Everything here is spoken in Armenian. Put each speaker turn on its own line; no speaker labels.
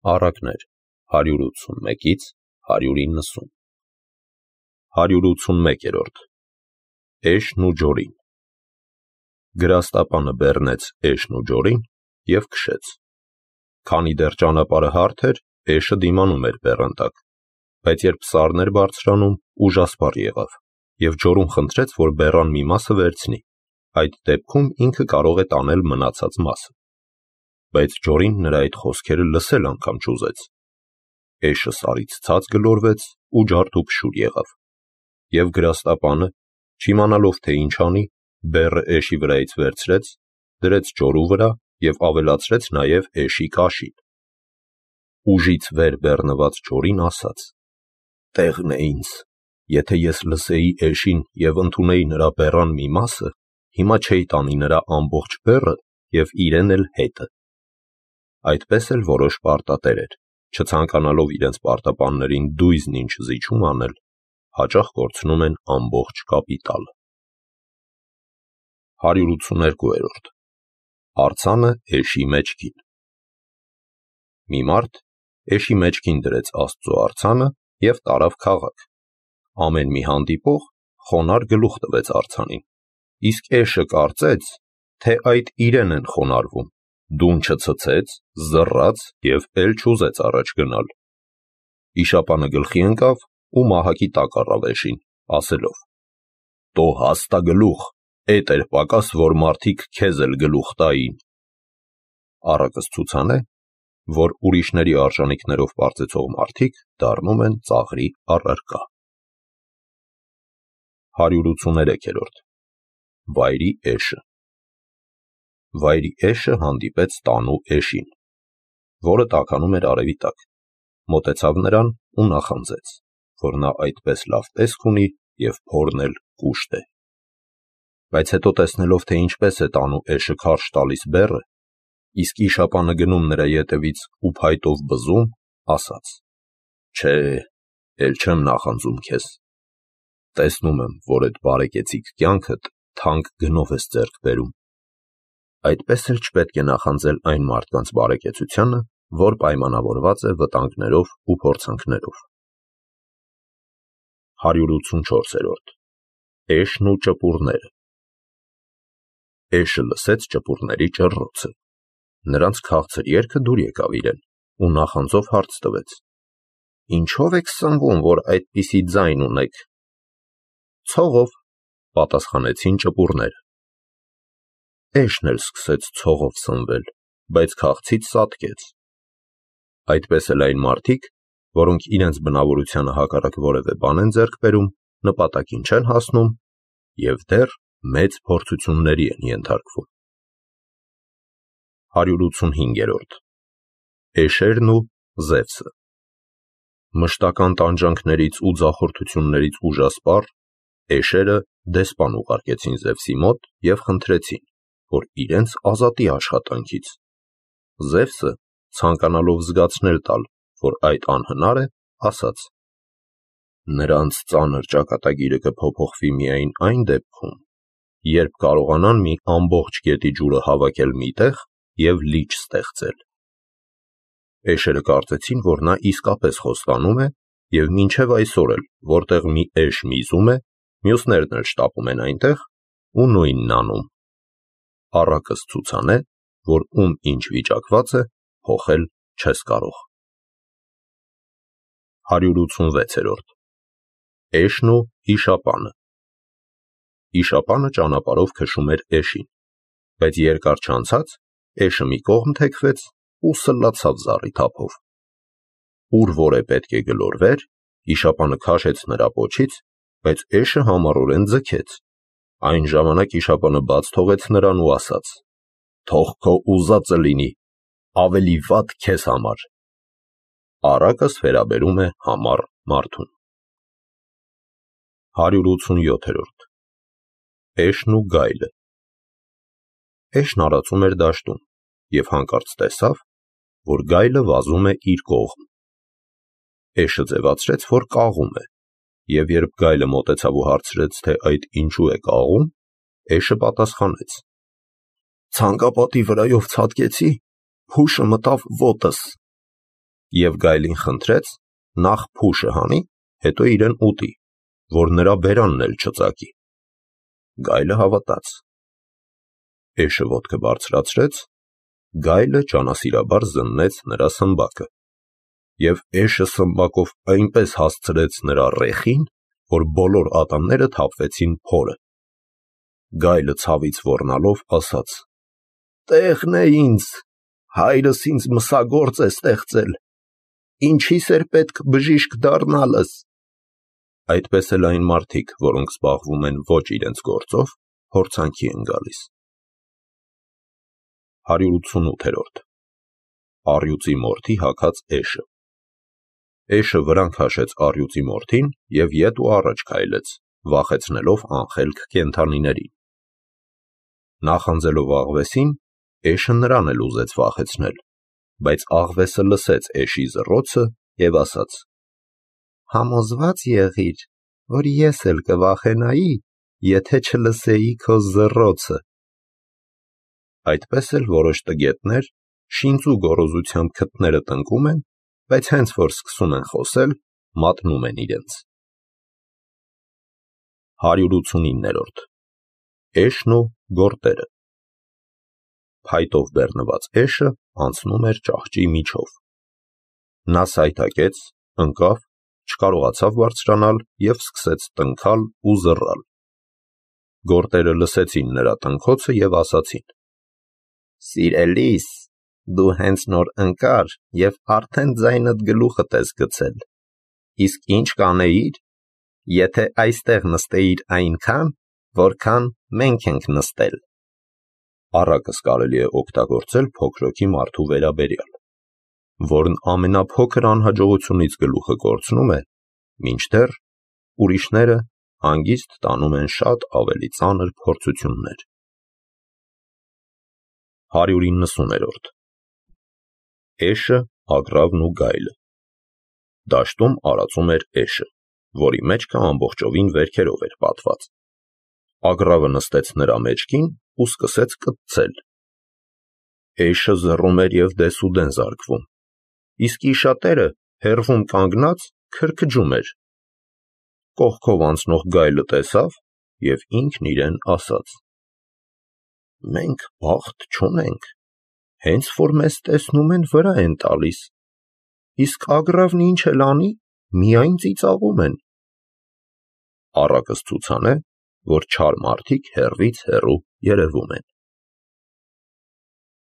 Առակներ 181-ից 190 181-րդ Էշն ու ջորին Գրաստապանը բեռնեց էշն ու ջորին և քշեց։ Քանի դեռ ճանապարհը հարթ էր, էշը դիմանում էր բեռան տակ, բայց երբ սարն էր բարձրանում, ուժասպառ եղավ, և ջորուն խնդրեց, որ բեռան մի մասը վերցնի, այդ դեպքում ինքը կարող է տանել մնացած մասը։ Բայց ջորին նրա այդ խոսքերը լսել անգամ չուզեց։ Էշը սարից ցած գլորվեց ու ջարդուփշուր եղավ, և գրաստապանը, չիմանալով թե ինչ անի, բեռը էշի վրայից վերցրեց, դրեց ջորու վրա և ավելացրեց նաև էշի կաշին։ Ուժից վեր բեռնված ջորին ասաց. «Տեղն է ինձ, եթե ես լսեի էշին և ընդունեի նրա բեռան մի մասը, հիմա չէի տանի նրա ամբողջ բեռը և իրեն էլ հետը»։ Այդպես էլ որոշ պարտատերեր, չցանկանալով իրենց պարտապաններին դույզն ինչ զիջում անել, հաճախ կորցնում են ամբողջ կապիտալը։ 182-րդ Արձանը էշի մեջքին Մի մարդ էշի մեջքին դրեց Աստծո արձանը և տարավ քաղաք։ Ամեն մի հանդիպող խոնարհ գլուխ տվեց արձանին, իսկ էշը կարծեց, թե այդ իրեն են խոնարհվում, դուն չցցեց, զռաց և էլ չուզեց առաջ գնալ։ Իշապանը գլխի ընկավ ու մահակի տակ առավ էշին, ասելով. «Տո հաստագլուխ, էդ էր պակաս, որ մարդիկ քեզ էլ գլուխ տային»։ Առակս ցուցան է, որ ուրիշների արժանիքներով պարծեցող մարդիկ դառնում են ծաղրի առարկա։ 183-րդ Վայրի էշը Վայրի էշը հանդիպեց տանու էշին, որը տաքանում էր արևի տակ, մոտեցավ նրան ու նախանձեց, որ նա այդպես լավ տեսք ունի և փորն էլ կուշտ է։ Բայց հետո տեսնելով, թե ինչպես է տանու էշը քարշ տալիս բեռը, իսկ իշապանը գնում նրա ետևից ու փայտով բզում, ասաց. «Չէ, էլ չեմ նախանձում քեզ։ Տեսնում եմ, որ էդ բարեկեցիկ կյանքդ թանկ գնով ես ձեռք բերում։ Այդպես էլ չպետք է նախանձել այն մարդկանց բարեկեցությանը, որ պայմանավորված է վտանգներով ու փորձանքներով»։ 184-րդ Էշն ու ճպուրները Էշը լսեց ճպուրների ճռռոցը, նրանց քաղցր երգը դուր եկավ իրեն ու նախանձով հարց տվեց. «Ինչո՞վ եք սնվում, որ այդպիսի ձայն ունեք»։ «Ցողով», պատասխանեցին ճպուրները։ Էշն էլ սկսեց ցողով սնվել, բայց քաղցից սատկեց։ Այդպես էլ այն մարդիկ, որոնք իրենց բնավորությանը հակառակ որևէ բան են ձեռք բերում, նպատակին չեն հասնում և դեռ մեծ փորձությունների են ենթարկվում։ 185-րդ Էշերն ու Զևսը Մշտական տանջանքներից ու ձախորդություններից ուժասպառ, էշերը դեսպան ուղարկեցին Զևսի մոտ և խնդրեցին, որ իրենց ազատի աշխատանքից։ Զևսը, ցանկանալով զգացնել տալ, որ այդ անհնար է, ասաց. «Նրանց ծանր ճակատագիրը կփոփոխվի միայն այն դեպքում, երբ կարողանան մի ամբողջ գետի ջուրը հավաքել մի տեղ և լիճ ստեղծել»։ Էշերը կարծեցին, որ նա իսկապես խոստանում է, և մինչև այսօր էլ, որտեղ մի էշ միզում է, մյուսներն էլ շտապում են այնտեղ ու նույնն անում։ Առակս ցուցան է, որ ում ինչ վիճակված է, փոխել չես կարող։ 186-րդ Էշն ու իշապանը Իշապանը ճանապարհով քշում էր էշին, բայց երկար չանցած էշը մի կողմ թեքվեց ու սլացավ զառի թափով։ Ուր որ է պետք է գլորվեր, իշապանը քաշեց նրա պոչից, բայց էշը համառորեն ձգեց։ Այն ժամանակ իշապանը բաց թողեց նրան ու ասաց. «Թող քո ուզածը լինի, ավելի վատ քեզ համար»։ Առակս վերաբերում է համառ մարդուն։ 187-րդ Էշն ու գայլը Էշն արածում էր դաշտում և հանկարծ տեսավ, որ գայլը վազում է իր կողմ։ Էշը ձևացրեց, որ կաղում է, և երբ գայլը մոտեցավ ու հարցրեց, թե այդ ինչու է կաղում, էշը պատասխանեց. «Ցանկապատի վրայով ցատկեցի, փուշը մտավ ոտս»։ Եվ գայլին խնդրեց նախ փուշը հանի, հետո իրեն ուտի, որ նրա բերանն էլ չծակի։ Գայլը հավատաց։ Էշը ոտքը բարձրացրեց, գայլը ճանասիրաբար զննեց նրա սմբակը, և էշը սմբակով այնպես հասցրեց նրա ռեխին, որ բոլոր ատամները թափվեցին փորը։ Գայլը ցավից ոռնալով ասաց. «Տեխն է ինձ, հայրս ինձ մսագործ է ստեղծել, ինչի՞ս էր պետք բժիշկ դառնալս»։ Այդպես էլ այն մարդիկ, որոնք զբաղվում են ոչ իրենց գործով, փորձանքի են գալիս։ 188-րդ Առյուծի մորթի հագած էշը։ Էշը վրան քաշեց առյուծի մորթին և ետ ու առաջ քայլեց, վախեցնելով անխելք կենդանիներին։ Նախանձելով աղվեսին, էշը նրան էլ ուզեց վախեցնել, բայց աղվեսը լսեց էշի զռոցը և ասաց. «Համոզվա՞ծ եղիր, որ ես էլ կվախենայի, եթե չլսեի քո զռոցը»։ Այդպես էլ որոշ տգետներ շինծու գոռոզությամբ քթները տնկում են, բայց հենց որ սկսում են խոսել, մատնում են իրենց։ 189-րդ Էշն ու գորտերը։ Փայտով բեռնված էշը անցնում էր ճահճի միջով։ Նա սայթաքեց, ընկավ, չկարողացավ բարձրանալ և սկսեց տնքալ ու զռալ։ Գորտերը լսեցին նրա տնքոցը և ասացին. «Սիրելիս, դու հենց նոր ընկար և արդեն ձայնդ գլուխդ ես գցել, իսկ ինչ կանեիր, եթե այստեղ նստեիր այնքան, որքան մենք ենք նստել»։ Առակս կարելի է օգտագործել փոքրոքի մարդու վերաբերյալ, որն ամենափոքր անհաջողությունից գլուխը կորցնում է, մինչդեռ ուրիշները հանգիստ տանում են շատ ավելի ծանր փորձություններ։ 190-րդ Էշը, ագռավն ու գայլը։ Դաշտում արածում էր էշը, որի մեջքը ամբողջովին վերքերով էր պատված։ Ագռավը նստեց նրա մեջքին ու սկսեց կծծել։ Էշը զռում էր և դեսուդեն զարկվում, իսկ իշատերը հեռվում կանգնած քրքջում էր։ Կողքով անցնող գայլը տեսավ և ինքն իրեն ասաց. «Մենք բախտ չունենք, հենց որ մեզ տեսնում են, վրա են տալիս, իսկ ագռավն ինչ էլ անի, միայն ծիծաղում են»։ Առակս ցուցան է, որ չար մարդիկ հեռվից հեռու երևում են։